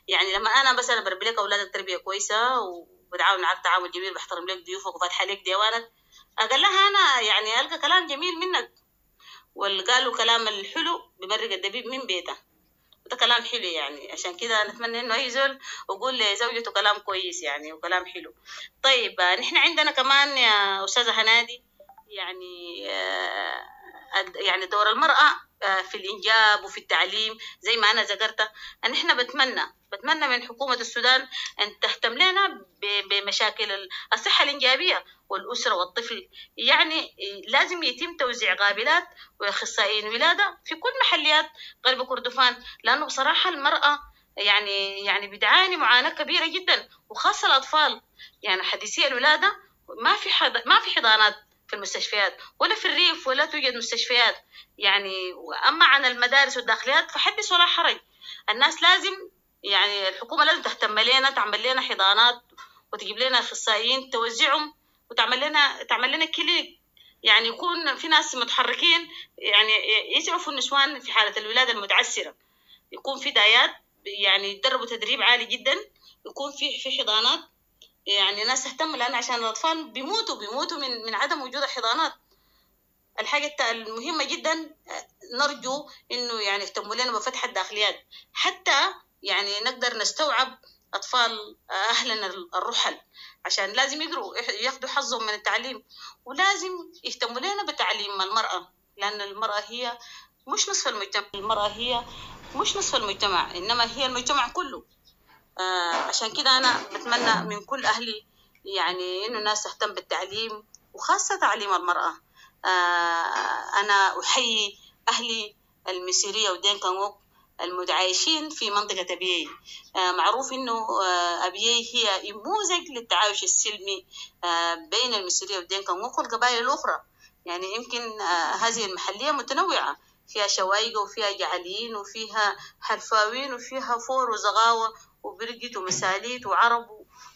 يعني لما أنا مثلا بربي لك أولادك تربية كويسة وبتعاون معك تعاون جميل، بحترم لك ضيوفك وفاتحة لك ديوانك، أقول لها أنا يعني ألقى كلام جميل منك، واللي قالوا كلام الحلو بمرق الدبيب من بيته، وده كلام حلو يعني. عشان كده نتمنى إنه أي زول يقول لزوجته كلام كويس يعني وكلام حلو. طيب نحن عندنا كمان يا أستاذة هنادي يعني يعني دور المرأة في الإنجاب وفي التعليم زي ما أنا ذكرت. نحن بتمنى من حكومة السودان أن تهتم لنا بمشاكل الصحة الإنجابية والأسرة والطفل. يعني لازم يتم توزيع قابلات وأخصائيين ولادة في كل محليات غرب كردفان، لأنه بصراحة المرأة يعني بتعاني معاناة كبيرة جدا، وخاصة الأطفال. يعني حديثي الولادة ما في حضانات في المستشفيات ولا في الريف، ولا توجد مستشفيات يعني. أما عن المدارس والداخليات فحدث ولا حرج. الناس لازم يعني الحكومة لازم تهتم لنا، تعمل لنا حضانات وتجيب لنا أخصائيين توزعهم، وتعمل لنا تعمل لنا كلينيك، يعني يكون في ناس متحركين يعني يسعفوا النسوان في حالة الولادة المتعسرة، يكون في دايات يعني يتدربوا تدريب عالي جدا، يكون في حضانات، يعني ناس تهتم، لأن عشان الأطفال بيموتوا من عدم وجود الحضانات. الحاجة المهمة جدا نرجو إنه يعني يهتموا لنا بفتح الداخليات حتى يعني نقدر نستوعب أطفال أهلنا الرحل، عشان لازم يقروا ياخدوا حظهم من التعليم، ولازم يهتموا لنا بتعليم المرأة، لأن المرأة هي مش نصف المجتمع، المرأة هي مش نصف المجتمع، إنما هي المجتمع كله. عشان كده أنا بتمنى من كل أهلي يعني إنه الناس تهتم بالتعليم، وخاصة تعليم المرأة. أنا أحيي أهلي المسيرية ودينكا نقوك المتعايشين في منطقة أبيي. معروف إنه أبيي هي نموذج للتعايش السلمي بين المسيرية ودينكا نقوك والقبائل الأخرى. يعني يمكن هذه المحلية متنوعة، فيها شوايقة وفيها جعليين وفيها حرفاويين وفيها فور وزغاوة وبرقت ومساليت وعرب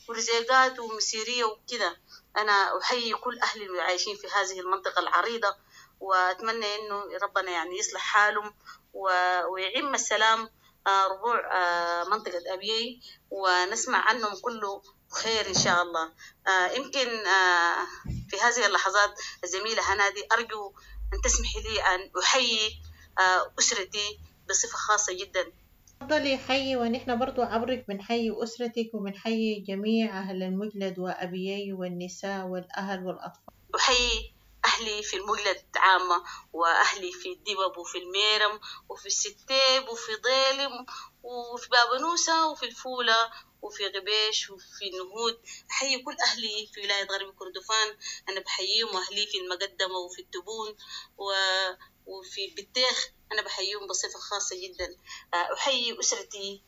ورزيقات ومسيرية وكده. أنا أحيي كل أهل المتعايشين في هذه المنطقة العريضة، وأتمنى إنه ربنا يعني يصلح حالهم ويعم السلام ربوع منطقة أبيي، ونسمع عنهم كله خير إن شاء الله. يمكن في هذه اللحظات الزميلة هنادي أرجو أن تسمحي لي أن أحيي أسرتي بصفة خاصة جدا. تفضلي حيي، ونحن برضو عبرك بنحيي أسرتك وبنحيي جميع أهل المجلد وأبيي والنساء والأهل والأطفال. أحيي أهلي في المجلد عامة، وأهلي في الدبب وفي الميرم وفي الستيب وفي ضيلم وفي بابنوسة وفي الفولة وفي غبيش وفي النهود. أحيي كل أهلي في ولاية غرب كردفان، أنا بحييهم، وأهلي في المقدمة وفي التبون وفي بتيخ أنا بحييهم بصفة خاصة جدا. أحيي أسرتي،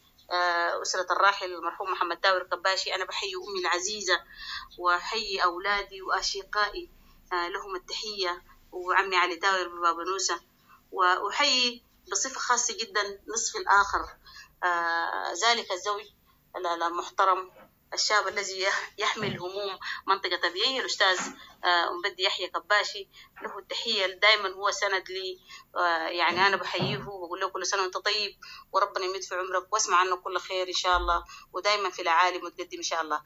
أسرة الراحل المرحوم محمد تاور كباشي، أنا بحيي أمي العزيزة وأحيي أولادي وأشقائي، لهم التحية، وعمي علي تاور ببابنوسة. وأحيي بصفة خاصة جدا نصفي الآخر، ذلك الزوج المحترم الشاب الذي يحمل هموم منطقة أبيي، الأستاذ أمبدي يحيى كباشي، له التحية، دائما هو سند لي. يعني أنا بحييه وبقول له كل سنة وأنت طيب وربنا يمد في عمرك واسمع عنه كل خير إن شاء الله، ودائما في العالي متقدم إن شاء الله.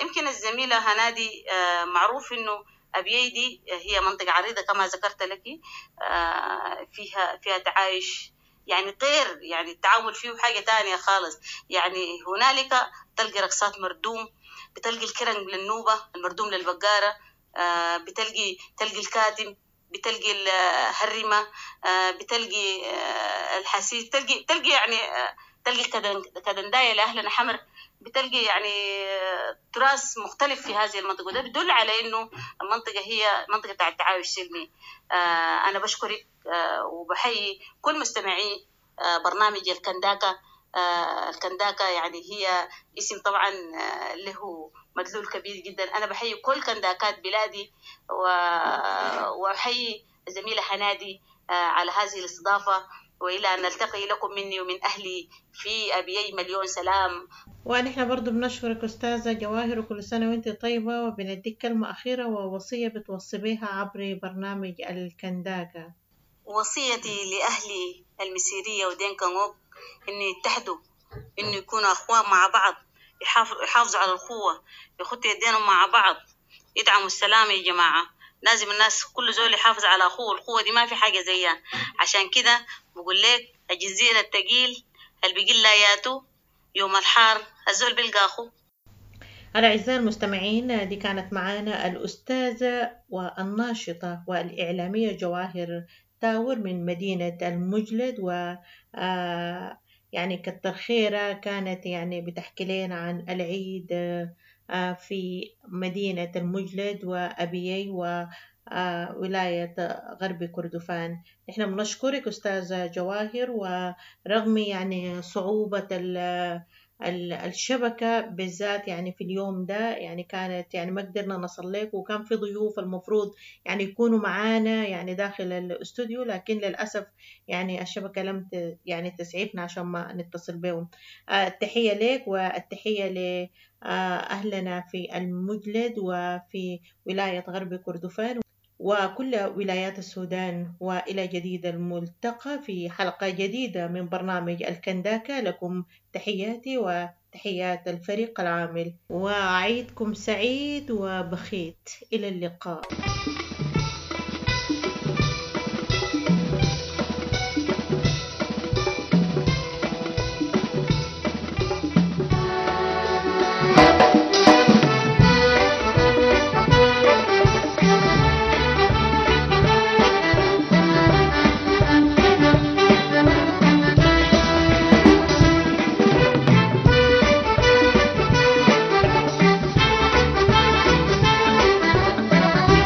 يمكن الزميلة هنادي معروف إنه أبيي دي هي منطقة عريضة كما ذكرت لك، فيها تعايش يعني غير، يعني التعامل فيه حاجة تانية خالص. يعني هنالك تلقي رقصات مردوم، بتلقي الكرنج للنوبة، المردوم للبقارة، بتلقي الكاتم، بتلقي الهرمة، بتلقي الحسيس، تلقي يعني تلقي كدنداية لأهلنا حمر، بتلقي يعني تراث مختلف في هذه المنطقة، وده بدل على إنه المنطقة هي منطقة بتاع التعايش السلمي. أنا بشكرك وبحيي كل مستمعي برنامج الكنداكا. الكنداكا يعني هي اسم طبعا له مدلول كبير جدا. أنا بحيي كل كنداكات بلادي، وأحيي الزميلة هنادي على هذه الاستضافة، وإلى أن نلتقي لكم مني ومن أهلي في أبيي مليون سلام. ونحن برضو بنشكرك أستاذة جواهر، وكل سنة وأنت طيبة، وبنديك كلمة أخيرة ووصية بتوصي بها عبر برنامج الكنداكا. وصيتي لأهلي المسيرية ودينكا نقوك إن يتحدوا، إنه يكونوا أخوان مع بعض، يحافظوا على الأخوة، يخطوا يدينهم مع بعض، يدعموا السلام يا جماعة. لازم الناس كل زول يحافظ على أخوه، الأخوة دي ما في حاجة زيها. عشان كده بقول لك الجزيرة التقيل اللي بيقل لاياته يوم الحار الزول بيلقى أخوه. الأعزاء المستمعين، دي كانت معانا الأستاذة والناشطة والإعلامية جواهر تاور من مدينة المجلد، و يعني كتر خيرها، كانت يعني بتحكي لنا عن العيد في مدينة المجلد وأبيي وولاية غرب كردفان. نحن بنشكرك أستاذة جواهر، ورغم يعني صعوبة الشبكة بالذات يعني في اليوم ده، يعني كانت يعني ما قدرنا نصل لك، وكان في ضيوف المفروض يعني يكونوا معانا يعني داخل الاستوديو، لكن للأسف يعني الشبكة لم يعني تسعفنا عشان ما نتصل بهم. التحية لك والتحية لأهلنا في المجلد وفي ولاية غرب كردفان وكل ولايات السودان. وإلى جديد الملتقى في حلقة جديدة من برنامج الكنداكا. لكم تحياتي وتحيات الفريق العامل، وعيدكم سعيد وبخيت. إلى اللقاء.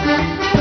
Thank you.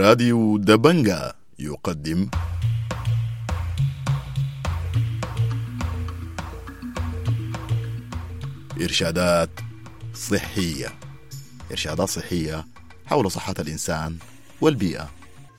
راديو دبنجا يقدم إرشادات صحية. إرشادات صحية حول صحة الإنسان والبيئة.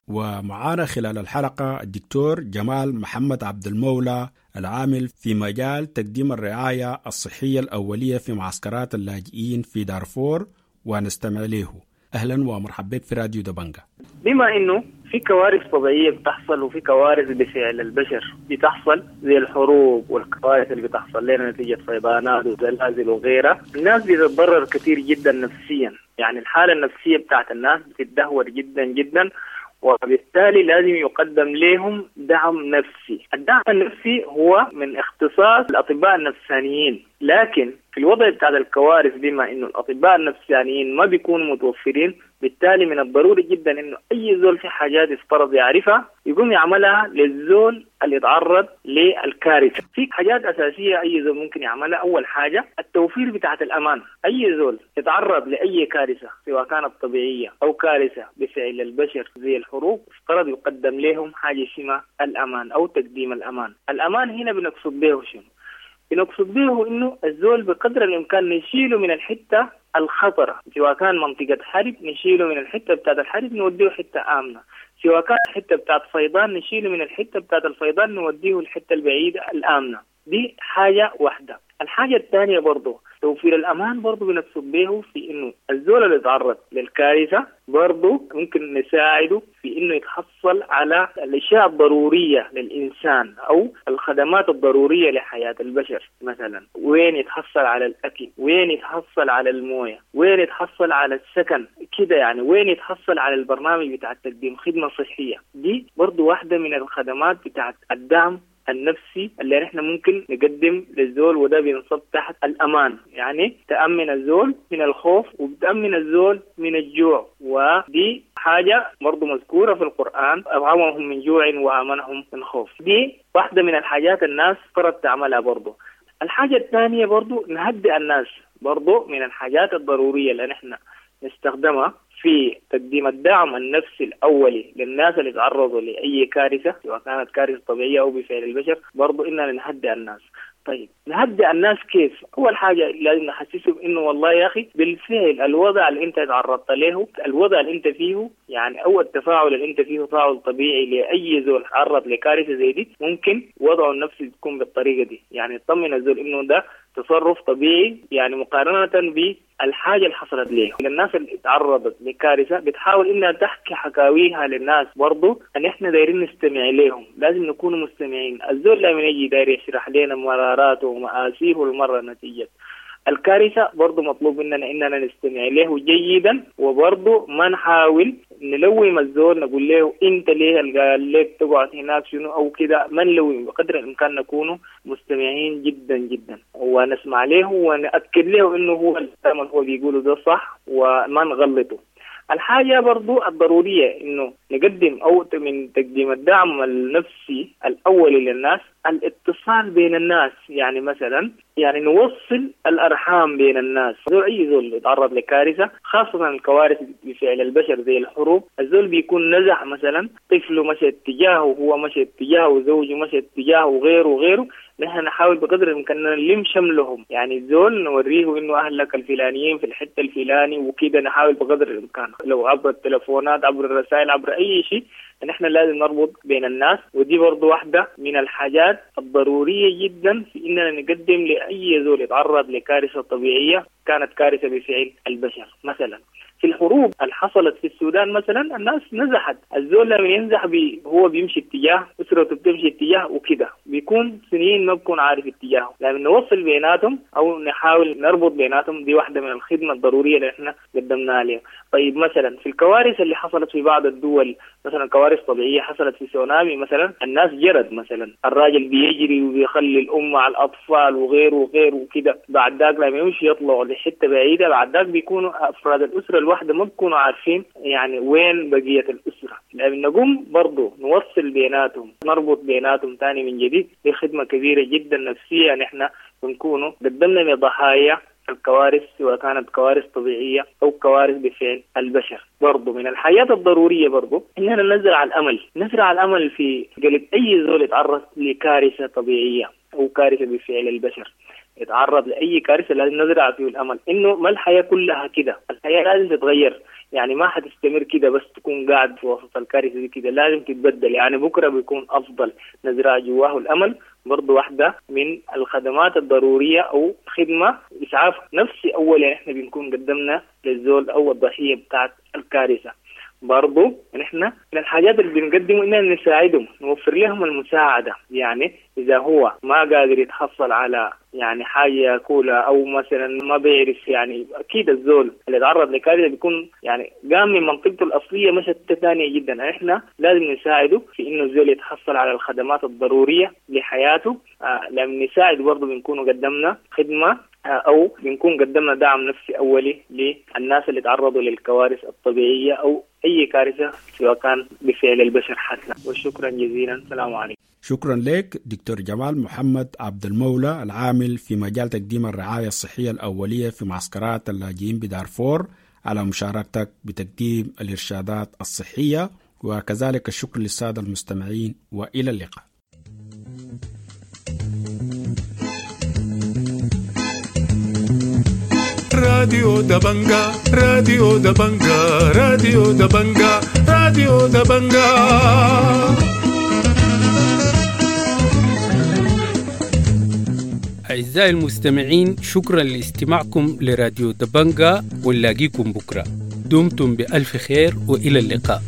ومعانا خلال الحلقة الدكتور جمال محمد عبد المولى، العامل في مجال تقديم الرعاية الصحية الأولية في معسكرات اللاجئين في دارفور، ونستمع له. أهلا ومرحبا بك في راديو دبنجا. بما إنه في كوارث طبيعية بتحصل وفي كوارث بفعل البشر بتحصل، زي الحروب والكوارث اللي بتحصل لنا نتيجة فيضانات وزلازل وغيرها، الناس بتتضرر كثير جدا نفسيا. يعني الحالة النفسية بتاعت الناس بتتدهور جدا جدا، وبالتالي لازم يقدم لهم دعم نفسي. الدعم النفسي هو من اختصاص الأطباء النفسانيين، لكن في الوضع بتاع الكوارث بما إنه الأطباء النفسانيين ما بيكونوا متوفرين، بالتالي من الضروري جدا إنه أي زول في حاجات يفترض يعرفها يقوم يعملها للزول اللي يتعرض للكارثة. في حاجات أساسية أي زول ممكن يعملها. أول حاجة التوفير بتاعة الأمان. أي زول يتعرض لأي كارثة سواء كانت طبيعية أو كارثة بفعل البشر زي الحروب، افترض يقدم لهم حاجة اسمها الأمان أو تقديم الأمان. الأمان هنا بنقصد به شنو؟ بنقصد به إنه الزول بقدر الإمكان نشيله من الحتة الخطرة، سواء كان منطقة حرب نشيله من الحتة بتاعت الحرب نوديه حتة آمنة، سواء كان حتة بتاعت فيضان نشيله من الحتة بتاعت الفيضان نوديه الحتة البعيدة الآمنة. دي حاجة واحدة. الحاجة الثانية برضو توفير الأمان، برضو بنقصد به في إنه الزول اللي يتعرض للكارثة برضو ممكن نساعده في إنه يتحصل على الأشياء الضرورية للإنسان أو الخدمات الضرورية لحياة البشر. مثلا وين يتحصل على الأكل، وين يتحصل على الموية، وين يتحصل على السكن كده، يعني وين يتحصل على البرنامج بتاع تقديم خدمة صحية. دي برضو واحدة من الخدمات بتاعت الدعم النفسي اللي نحن ممكن نقدم للزول، وده بينصب تحت الأمان. يعني تأمن الزول من الخوف وبتأمن الزول من الجوع، ودي حاجة برضو مذكورة في القرآن، أطعمهم من جوع وآمنهم من خوف. دي واحدة من الحاجات الناس فرض تعملها برضو. الحاجة الثانية برضو نهدئ الناس، برضو من الحاجات الضرورية اللي نحن نستخدمها في تقديم الدعم النفسي الأولي للناس اللي تعرضوا لأي كارثة سواء كانت كارثة طبيعية أو بفعل البشر، برضو إننا نهدئ الناس. طيب نهدئ الناس كيف؟ أول حاجة لازم نحسسهم إنه والله يا أخي بالفعل الوضع اللي أنت تعرضت له، الوضع اللي أنت فيه، يعني أو التفاعل اللي أنت فيه تفاعل طبيعي لأي زول تعرض لكارثة زي دي، ممكن وضعه النفسي تكون بالطريقة دي. يعني يطمن الزول إنه ده تصرف طبيعي، يعني مقارنة بالحاجة اللي حصلت ليه. الناس اللي تعرضت لكارثة بتحاول إنها تحكي حكاويها للناس، برضو أن إحنا دايرين نستمع لهم، لازم نكون مستمعين. الزول لما يجي داير يشرح لنا مراراته ومآسيه المرة نتيجة الكارثة، برضو مطلوب مننا إننا نستمع له جيدا، وبرضو ما نحاول نلوم الزول نقول له أنت ليه قال لك تقعد هناك شنو أو كده، ما نلوم، بقدر الإمكان نكون مستمعين جدا جدا ونسمع له ونأكد له إنه هو الكلام اللي هو بيقوله ده صح وما نغلطه. الحاجة برضو الضرورية إنه نقدم أو من تقديم الدعم النفسي الأولي للناس الاتصال بين الناس. يعني مثلا يعني نوصل الأرحام بين الناس. زول أي زول يتعرض لكارثة، خاصة الكوارث بفعل البشر زي الحروب، الزول بيكون نزح مثلا، طفله مشى اتجاهه وهو مشى اتجاهه وزوجه مشى اتجاهه وغيره وغيره. نحن نحاول بقدر الإمكان نلم شملهم، يعني الزول نوريه إنه أهلك الفلانيين في الحتة الفلاني وكده. نحاول بقدر الإمكان لو عبر التلفونات، عبر الرسائل، عبر أي شيء، نحن لازم نربط بين الناس. ودي برضو واحدة من الحاجات الضرورية جدا في إننا نقدم لأي زول يتعرض لكارثة طبيعية كانت كارثة بفعل البشر. مثلا في الحروب اللي حصلت في السودان مثلا الناس نزحت، الزول لما ينزح هو بيمشي اتجاه، أسرته بتمشي اتجاه وكده، بيكون سنين ما بكون عارف اتجاهه. لما نوصل بيناتهم أو نحاول نربط بيناتهم، دي واحدة من الخدمة الضرورية اللي احنا قدمناها لهم. طيب مثلا في الكوارث اللي حصلت في بعض الدول، مثلا كوارث طبيعية حصلت في سونامي مثلا، الناس جرت مثلا، الراجل بيجري وبيخلي الأم مع الأطفال وغيره وغيره وكده، بعد ذاك لما يمشي يطلعوا لحتة بعيدة، بعد ذاك بيكونوا أفراد الأسرة الواحدة ما بيكونوا عارفين يعني وين بقية الأسرة. لأن نقوم برضو نوصل بيناتهم، نربط بيناتهم تاني من جديد. دي خدمة كبيرة جدا نفسية نحن بنكونوا قدمنا لضحايا الكوارث، سواء كانت كوارث طبيعية أو كوارث بفعل البشر. برضو من الحاجات الضرورية برضو إننا نزرع الأمل، نزرع الأمل في قلب أي زول يتعرض لكارثة طبيعية أو كارثة بفعل البشر. يتعرض لأي كارثة لازم نزرع فيه الأمل إنه ما الحياة كلها كده، الحياة لازم تتغير، يعني ما حتستمر كده بس تكون قاعد في وسط الكارثة دي كده، لازم تتبدل، يعني بكرة بيكون أفضل. نزرع جواه الأمل برضو واحدة من الخدمات الضرورية أو خدمة إسعاف نفسي أولا إحنا بنكون قدمنا للزول أو الضحية بتاعت الكارثة. برضو نحن من الحاجات اللي بنقدمه إننا نساعدهم، نوفر لهم المساعدة، يعني إذا هو ما قادر يتحصل على يعني حاجة ياكلها أو مثلا ما بيعرف، يعني أكيد الزول اللي تعرض لكارثة بيكون يعني قام من منطقته الأصلية مشت ثانية جدا، إحنا لازم نساعده في إنه الزول يتحصل على الخدمات الضرورية لحياته. لما نساعد برضو بنكون قدمنا خدمة أو بنكون قدمنا دعم نفسي أولي للناس اللي تعرضوا للكوارث الطبيعية أو أي كارثة سواء كان بفعل البشر حتى. وشكرا جزيلا، السلام عليكم. شكرا لك دكتور جمال محمد عبد المولى، العامل في مجال تقديم الرعاية الصحية الأولية في معسكرات اللاجئين بدارفور، على مشاركتك بتقديم الإرشادات الصحية، وكذلك الشكر للسادة المستمعين، وإلى اللقاء. راديو دبنجا، راديو دبنجا، راديو دبنجا، راديو دبنجا. أعزائي المستمعين، شكرا لاستماعكم لراديو دبنجا، ونلاقيكم بكرة. دمتم بألف خير وإلى اللقاء.